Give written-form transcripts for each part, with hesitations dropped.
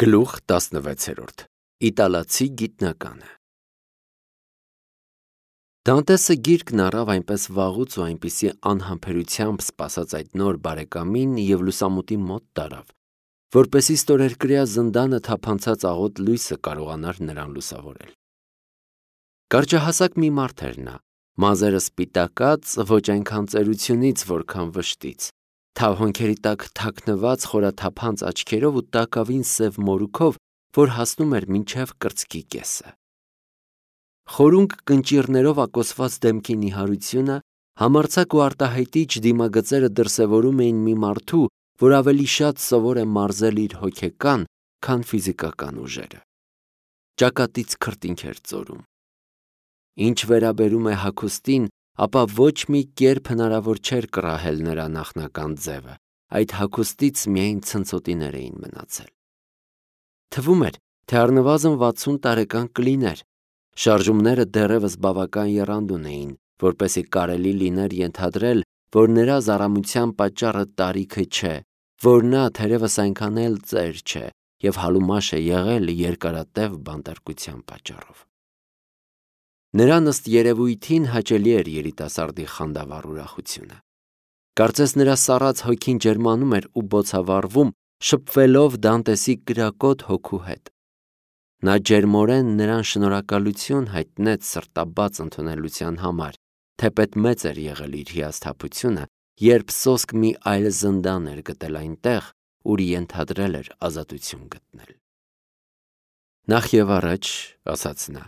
Գլուխ 16 Իտալացի գիտնականը Դանտեսը գիրկն առավ այնպես վաղուց ու այնպիսի անհամբերությամբ սպասած այդ նոր բարեկամին և լուսամուտի մոտ տարավ, որպեսզի ստորերկրյա զնդանը թափանցած աղոտ լույսը կարողանար նրան լուսավորել։ Կարճահասակ մի մարդ էր նա, մազերը սպիտակած, ոչ այնքան ծերությունից, որքան վշտից, թավ հոնքերի տակ թաքնված խորաթափանց աչքերով ու տակավին սև մորուքով, որ հասնում էր մինչև կրծքի կեսը։ Խորունկ կնճիռներով ակոսված դեմքի նիհարությունը, համարձակ ու արտահայտիչ դիմագծերը դրսևորում էին մի մարդու, որ ավելի շատ սովոր է մարզել իր հոգեկան, քան ֆիզիկական ուժերը։ Ճակատից քրտինք էր ծորում։ Ինչ վերաբերում է հագուստին, ապա ոչ մի կերպ հնարավոր չէր կռահել նրա նախնական ձևը, այդ հագուստից միայն ցնցոտիներ էին մնացել։ Թվում էր, թե առնվազն 60 տարեկան կլիներ, շարժումները դեռևս բավական եռանդուն էին, որպեսզի կարելի լիներ ենթադրել, որ նրա զառամության պատճառը տարիքը չէ, որ նա թերևս այնքան էլ ծեր չէ և հալումաշ է եղել երկարատև բանտարկության պատճառով։ Նրան ըստ երևույթին հաճելի էր երիտասարդի խանդավառ ուրախությունը։ Կարծես նրա սառած հոգին ջերմանում էր ու բոցավառվում, շփվելով Դանտեսի կրակոտ հոգու հետ։ Նա ջերմորեն նրան շնորհակալություն հայտնեց սրտաբաց ընդունելության համար, թեպետ մեծ էր եղել իր հիասթափությունը, երբ սոսկ մի այլ զնդան էր գտել այնտեղ, ուր ենթադրել էր ազատություն գտնել։ Նախ և առաջ, ասաց նա,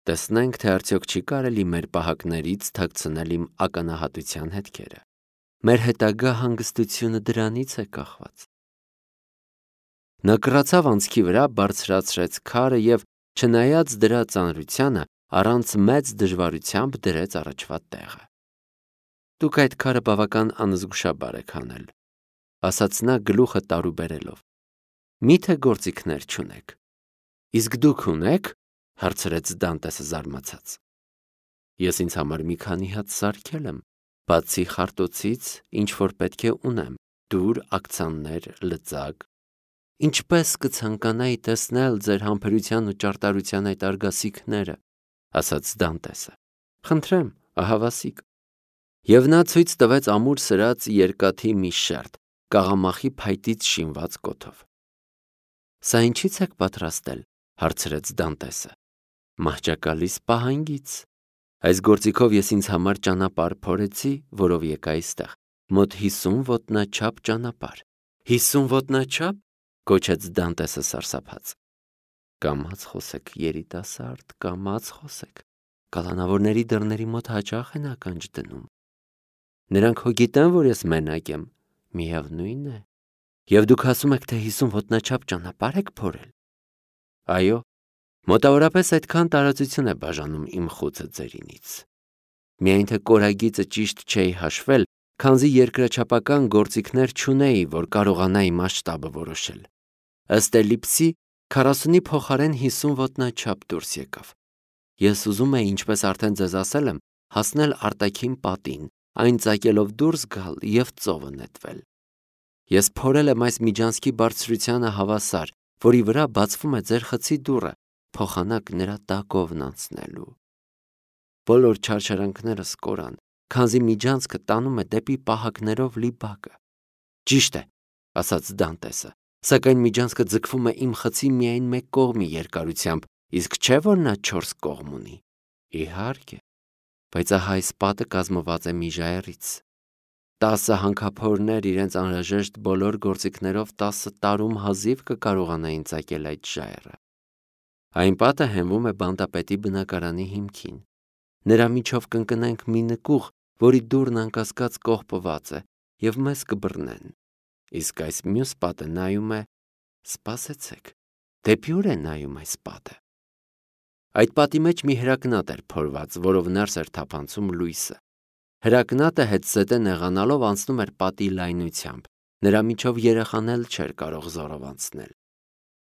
տեսնենք, թե արդյոք չի կարելի մեր պահակներից թաքցնել իմ ականահատության հետքերը։ Մեր հետագա հանգստությունը դրանից է կախված։ Նա կռացավ անցքի վրա, բարձրացրեց քարը և, չնայած դրա ծանրությանը, առանց մեծ դժվարությամբ դրեց առաջվա տեղը։ Դուք այդ քարը բավական անզգուշաբար եք հանել, ասաց նա գլուխը տարուբերելով։ Մի՞թե գործիքներ չունեք։ Իսկ դուք ունե՞ք, հարցրեց Դանտեսը զարմացած։ Ես ինձ համար մի քանի հատ սարքել եմ, բացի խարտոցից, ինչ որ պետք է ունեմ, դուր, աքցաններ, լծակ։ Ինչպես կցանկանայի տեսնել ձեր համբերության ու ճարտարության այդ արգասիքները, ասաց Դանտեսը։ Խնդրեմ, ահավասիկ։ Եվ նա ցույց տվեց ամուր սրած երկաթի մի շերտ, կաղամախի փայտից շինված կոթով։ Սա ինչի՞ց եք պատրաստել, հարցրեց Դանտեսը։ Մահճակալիս պահանգից։ Այս գործիքով ես ինձ համար ճանապարհ փորեցի, որով եկա այստեղ, մոտ 50 ոտնաչափ ճանապարհ։ 50 ոտնաչափ, գոչեց Դանտեսը սարսափած։ Կամաց խոսեք, երիտասարդ, կամաց խոսեք։ Կալանավորների դռների մոտ հաճախ են ականջ դնում։ Նրանք հո գիտեն, որ ես մենակ եմ, միևնույն է։ Եվ դուք ասում եք, թե 50 ոտնաչափ ճանապարհ եք փորել։ Այո, մոտավորապես այդքան տարածություն է բաժանում իմ խուցը ձերինից։ Միայն թե կորագիծը ճիշտ չէի հաշվել, քանզի երկրաչափական գործիքներ չունեի, որ կարողանայի մասշտաբը որոշել։ Ըստ էլիպսի 40-ի փոխարեն 50 ոտնաչափ դուրս եկավ։ Ես ուզում էի, ինչպես արդեն ձեզ ասել եմ, հասնել արտաքին պատին, այն ծակելով դուրս գալ և ծովը նետվել։ Ես փորել եմ այս միջանցքի բարձրությանը հավասար, որի վրա բացվում է ձեր խցի դուռը, փոխանակ նրա տակովն անցնելու։ Բոլոր չարչարանքներս կորան, քանզի միջանցքը տանում է դեպի պահակներով լի բակը։ Ճիշտ է, ասաց Դանտեսը, սակայն միջանցքը ձգվում է իմ խցի միայն մեկ կողմի երկարությամբ, իսկ չէ՞ որ նա 4 կողմ ունի։ Իհարկե, բայց ահա այս պատը կազմված է մի ժայռից։ 10 հանքափորներ իրենց անհրաժեշտ բոլոր գործիքներով 10 տարում հազիվ կկարողանային ծակել այդ ժայռը։ Այն պատը հենվում է բանտապետի բնակարանի հիմքին։ Նրա միջով կընկնենք մի նկուղ, որի դուռն անկասկած կողպված է, և մեզ կբռնեն։ Իսկ այս մյուս պատը նայում է… Սպասեցեք, դեպի ուր է նայում այս պատը։ Այդ պատի մեջ մի հրակնատ էր փորված, որով ներս էր թափանցում լույսը։ Հրակնատը հետզհետե նեղանալով անցնում էր պատի լայնությամբ, նրա միջով երեխան էլ չէր կարող զորով անցնել։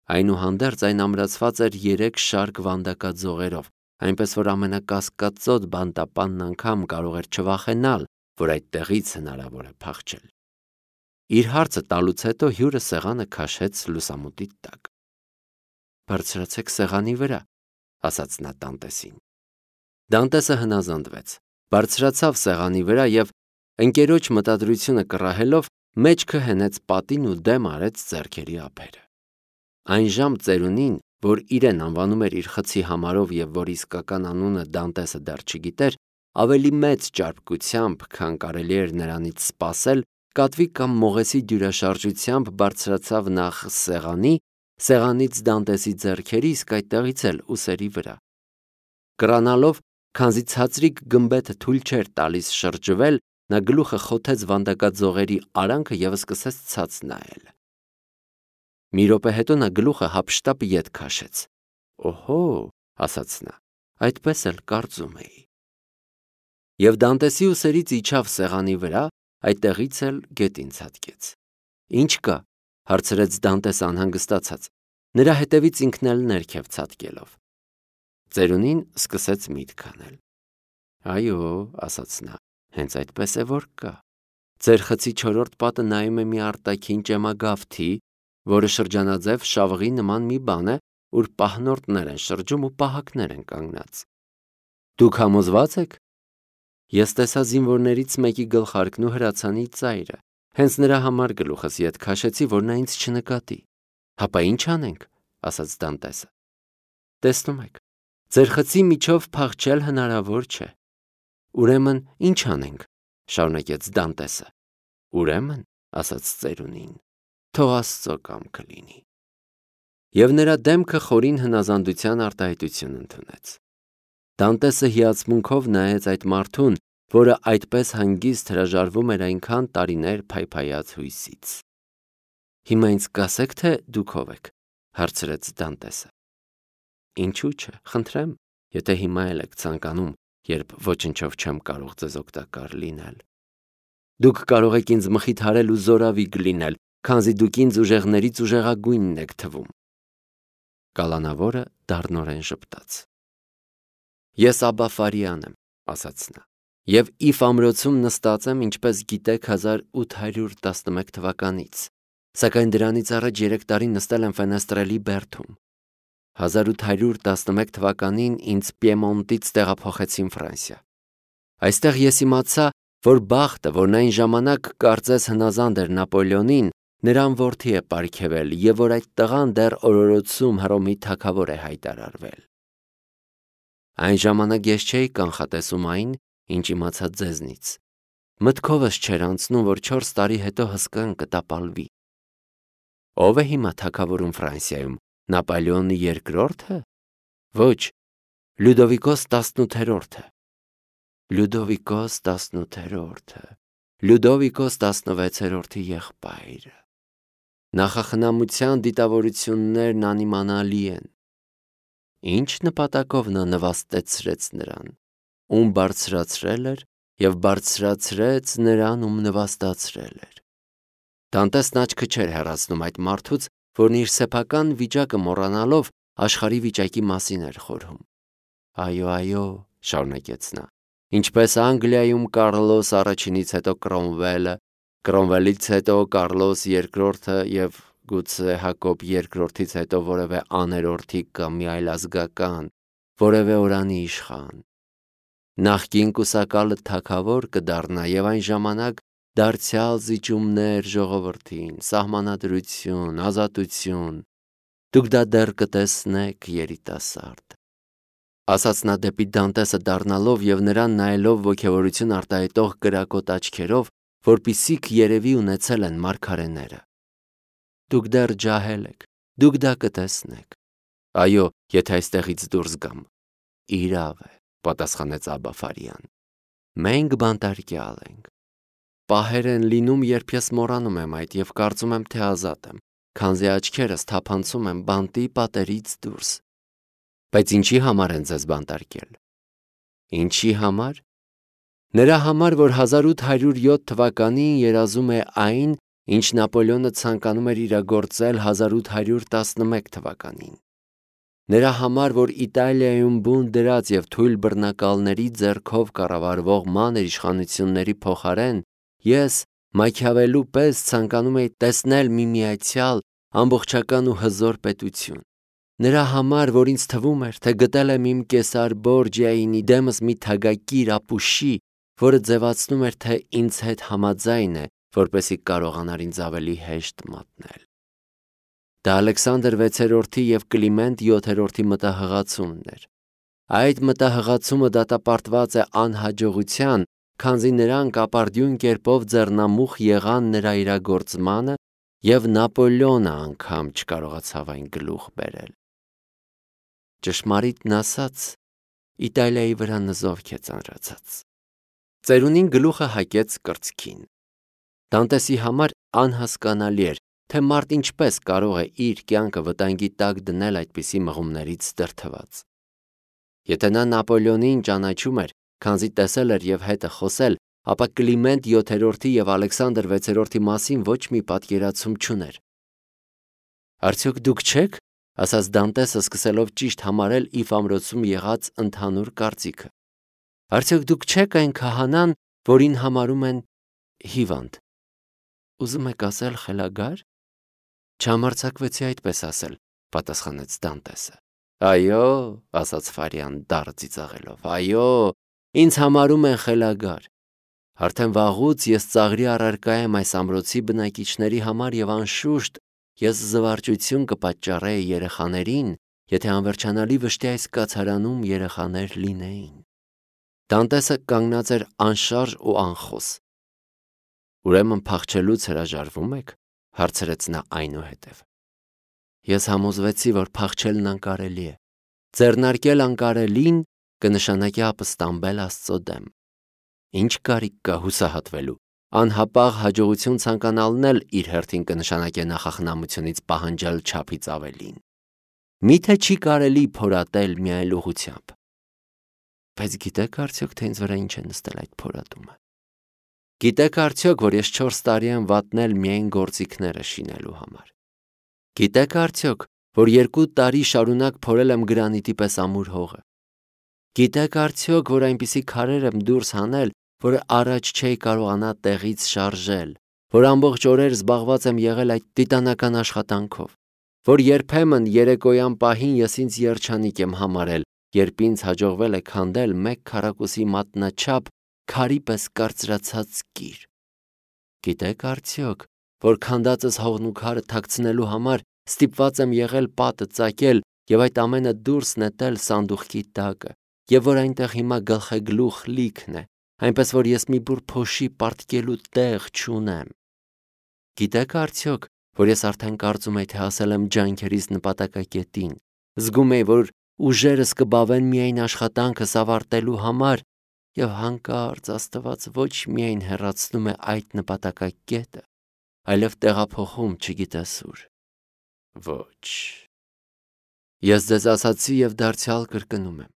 Այնուհանդերձ այն ամրացված էր 3 շարք վանդակաձողերով, այնպես որ ամենակասկածոտ բանտապանն անգամ կարող էր չվախենալ, որ այդտեղից հնարավոր է փախչել։ Իր հարցը տալուց հետո հյուրը սեղանը քաշեց լուսամուտի տակ։ բարձրացեք սեղանի վրա, ասաց նա Դանտեսին։ Դանտեսը հնազանդվեց, բարձրացավ սեղանի վրա և ընկերոջ մտադրությունը կռահելով մեջքը հենեց պատին ու դեմ արեց ձեռքերի ափերը։ Այն ժամ ծերունին, որ իրեն անվանում էր իր խցի համարով և որ իսկական անունը Դանտեսը դեռ չգիտեր, ավելի մեծ ճարպկությամբ, քան կարելի էր նրանից սպասել, կատվի կամ մողեսի դյուրաշարժությամբ բարձրացավ նախ սեղանից Դանտեսի ձեռքերի, իսկ այդտեղից էլ ուսերի վրա։ Կռանալով, քանզի ցածրիկ գմբեթը թույլ չէր տալիս շրջվել, նա գլուխը խոթեց վանդակաձողերի արանքը և սկսեց ցած նայել։ Մի րոպե հետո նա գլուխը հափշտապ ետ քաշեց։ «Օհո», ասաց նա, «այդպես էլ կարծում էի»։ Եվ Դանտեսի ուսերից իջավ սեղանի վրա, այդտեղից էլ գետին ցատկեց։ «Ինչ կա», հարցրեց Դանտեսը անհանգստացած, նրա հետևից ինքն էլ ներքև ցատկելով։ Ծերունին սկսեց միտք անել։ «Այո», ասաց նա, «հենց այդպես է որ կա։ Ձեր խցի չորրորդ պատը նայում է մի արտաքին ճեմագավթի, որը շրջանաձև շավղի նման մի բան է, ուր պահնորդներ են շրջում ու պահակներ են կանգնած։ Դուք համոզվա՞ծ եք։ Ես տեսա զինվորներից մեկի գլխարկն ու հրացանի ծայրը, հենց նրա համար գլուխս ետ քաշեցի, որ նա ինձ չնկատի։ Հապա ինչ անենք, ասաց Դանտեսը։ Տեսնում եք, ձեր խցի միջով փախչել հնարավոր չէ։ Ուրեմն ինչ անենք, շարունակեց Դանտեսը։ Ուրեմն, ասաց ծերունին, թող Աստծո կամքը լինի։ Եվ նրա դեմքը խորին հնազանդության արտահայտություն ընդունեց։ Դանտեսը հիացմունքով նայեց այդ մարդուն, որը այդպես հանգիստ հրաժարվում էր այնքան տարիներ փայփայած հույսից։ Հիմա ինձ կասեք, թե դուք ով եք, հարցրեց Դանտեսը։ Ինչու՞ չէ, խնդրեմ, եթե հիմա էլ եք ցանկանում, երբ ոչնչով չեմ կարող ձեզ օգտակար լինել։ Դուք կարող եք ինձ մխիթարել ու զորավիգ լինել, քանզի դուք ինձ ուժեղներից ուժեղագույնն եք թվում։ Կալանավորը դառնորեն ժպտաց։ Ես Աբա Ֆարիան եմ, ասաց նա, և Իֆ ամրոցում նստած եմ, ինչպես գիտեք, 1811 թվականից, սակայն դրանից առաջ 3 տարի նստել եմ Ֆենեստրելի բերդում։ 1811 թվականին ինձ Պիեմոնտից տեղափոխեցին Ֆրանսիա։ Այստեղ ես իմացա, որ բախտը, որն այն ժամանակ կարծես հնազանդ էր Նապոլեոնին, նրան որդի է պարգևել և որ այդ տղան դեռ օրորոցում Հռոմի թագավոր է հայտարարվել։ Այն ժամանակ ես չէի կանխատեսում այն, ինչ իմացա ձեզնից։ Մտքովս չէր անցնում, որ 4 տարի հետո հսկան կտապալվի։ Ո՞վ է հիմա թագավորում Ֆրանսիայում, Նապոլեոնի երկրորդը։ Ոչ, Լյուդովիկոս 18-րդը։ Լյուդովիկոս 18-րդը, Լյուդովիկոս 16-րդի եղբայրը։ Նախախնամության դիտավորություններն անիմանալի են։ Ինչ նպատակով նա նվաստեցրեց նրան, ում բարձրացրել էր և բարձրացրեց նրան, ում նվաստացրել էր։ Դանտեսն աչքը չէր հեռացնում այդ մարդուց, որն իր սեփական վիճակը մոռանալով աշխարհի վիճակի մասին էր խորհում։ Այո, այո, շարունակեց նա, ինչպես Անգլիայում Կարլոս առաջինից հետո Կրոմվելը, Կրոմվելից հետո Կարլոս երկրորդը և գուցե Հակոբ երկրորդից հետո որևէ աներորդիկ կամ մի այլ ազգական, որևէ օրանի իշխան։ Նախկին կուսակալը թագավոր կդառնա և այն ժամանակ դարձյալ զիջումներ ժողովրդին, սահմանադրություն, ազատություն, դուք դա դեռ կտեսնեք, երիտասարդ։ Ասաց նա դեպի Դանտեսը դառնալով և նրան նայելով ոգևորություն արտահայտող կրակոտ աչքերով, որպիսիք երևի ունեցել են մարգարեները։ Դուք դեռ ջահել եք, դուք դա կտեսնեք։ Այո, եթե այստեղից դուրս գամ։ Իրավ է, պատասխանեց Աբա Ֆարիան։ Մենք բանտարկյալ ենք։ Պահեր են լինում, երբ ես մոռանում եմ այդ և կարծում եմ, թե ազատ եմ, քանզի աչքերս թափանցում եմ բանտի պատերից դուրս։ Բայց ինչի համար են ձեզ բանտարկել։ Ինչի համար։ Նրա համար, որ 1807 թվականին երազում է այն, ինչ Նապոլեոնը ցանկանում էր իրագործել 1811 թվականին։ Նրա համար, որ Իտալիայում բուն դրած և թույլ բռնակալների ձեռքով կառավարվող մանր իշխանությունների փոխարեն ես Մաքիավելլու պես ցանկանում էի տեսնել մի միացյալ, ամբողջական ու հզոր պետություն։ Նրա համար, որ ինձ թվում էր, թե գտել եմ իմ Կեսար Բորջիայինի դեմս մի թագակիր ապուշի, որը ձևացնում էր, թե ինձ հետ համաձայն է, որպեսզի կարողանար ինձ ավելի հեշտ մատնել։ Դա Ալեքսանդր 6-րդի և Կլիմենտ 7-րդի մտահղացումն էր։ Այդ մտահղացումը դատապարտված է անհաջողության, քանզի նրանք ապարդյուն կերպով ձեռնամուխ եղան նրա իրագործմանը, և Նապոլեոնը անգամ չկարողացավ այն գլուխ բերել։ Ճշմարիտն ասած, Իտալիայի վրա նզովք է ծանրացած։ Ծերունին գլուխը հակեց կրծքին։ Դանտեսի համար անհասկանալի էր, թե մարդ ինչպես կարող է իր կյանքը վտանգի տակ դնել այդպիսի մղումներից դրդված։ Եթե նա Նապոլեոնին ճանաչում էր, քանզի տեսել էր և հետ է խոսել, ապա Կլիմենտ 7-րդի և Ալեքսանդր 6-րդի մասին ոչ մի պատկերացում չուներ։ Արդյոք դուք չեք, ասաց Դանտեսը, սկսելով ճիշտ համարել իր ամրոցում եղած ընդհանուր կարծիքը։ Արդյոք դուք չեք այն քահանան, որին համարում են հիվանդ։ Ուզում եք ասել խելագա՞ր։ Չհամարձակվեցի այդպես ասել, պատասխանեց Դանտեսը։ Այո, ասաց Ֆարիան դառը ծիծաղելով, այո, ինձ համարում են խելագար։ Արդեն վաղուց ես ծաղրի առարկա եմ այս ամրոցի բնակիչների համար և անշուշտ ես զվարճություն կպատճառեի երեխաներին, եթե անվերջանալի վշտի այս կացարանում երեխաներ լինեին։ Դանտեսը կանգնած էր անշարժ ու անխոս։ Ուրեմն փախչելուց հրաժարվում եք, հարցրեց նա այնուհետև։ Ես համոզվեցի, որ փախչելն անկարելի է։ Ձեռնարկել անկարելին կնշանակի ապստամբել Աստծո դեմ։ Ինչ կարիք կա հուսահատվելու։ Անհապաղ հաջողություն ցանկանալն էլ իր հերթին կնշանակե նախախնամությունից պահանջել չափից ավելին։ Միթե չի կարելի փորատել միայն ուղղությամբ։ Բայց գիտեք արդյոք, թե ինձ վրա ինչ է նստել այդ փորատումը։ Գիտեք արդյոք, որ ես 4 տարի եմ վատնել միայն գործիքները շինելու համար։ Գիտեք արդյոք, որ 2 տարի շարունակ փորել եմ գրանիտի պես ամուր հողը։ Գիտեք արդյոք, որ այնպիսի քարեր եմ դուրս հանել, որը առաջ չէի կարողանա տեղից շարժել, որ ամբողջ օրեր զբաղված եմ եղել այդ տիտանական աշխատանքով, որ երբեմն երեկոյան պահին ես ինձ երջանիկ եմ համարել, երբ ինձ հաջողվել է քանդել 1 քառակուսի մատնաչափ քարի պես կարծրացած կիր։ Գիտեք արդյոք, որ քանդածս հողն ու քարը թաքցնելու համար ստիպված եմ եղել պատը ծակել և այդ ամենը դուրս նետել սանդուղքի տակը, և որ այնտեղ հիմա գլխեգլուխ լիքն է, այնպես որ ես մի բուռ փոշի պարտկելու տեղ չունեմ։ Գիտեք արդյոք, որ ես արդեն կարծում եի, թե հասել եմ ջանքերիս նպատակակետին, զգում էի, որ ուժերս կբավեն միայն աշխատանքս ավարտելու համար, և հանկարծ Աստված ոչ միայն հեռացնում է այդ նպատակակետը, այլև տեղափոխում չգիտես ուր։ Ոչ։ Ես ձեզ ասացի և դարձյալ կրկնում եմ։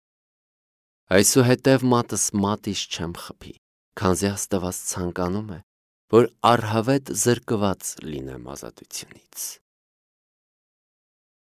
Այսուհետև մատս մատից չեմ խփի, քանզի Աստված ցանկանում է, որ առհավետ զրկված լինեմ ազատությունից։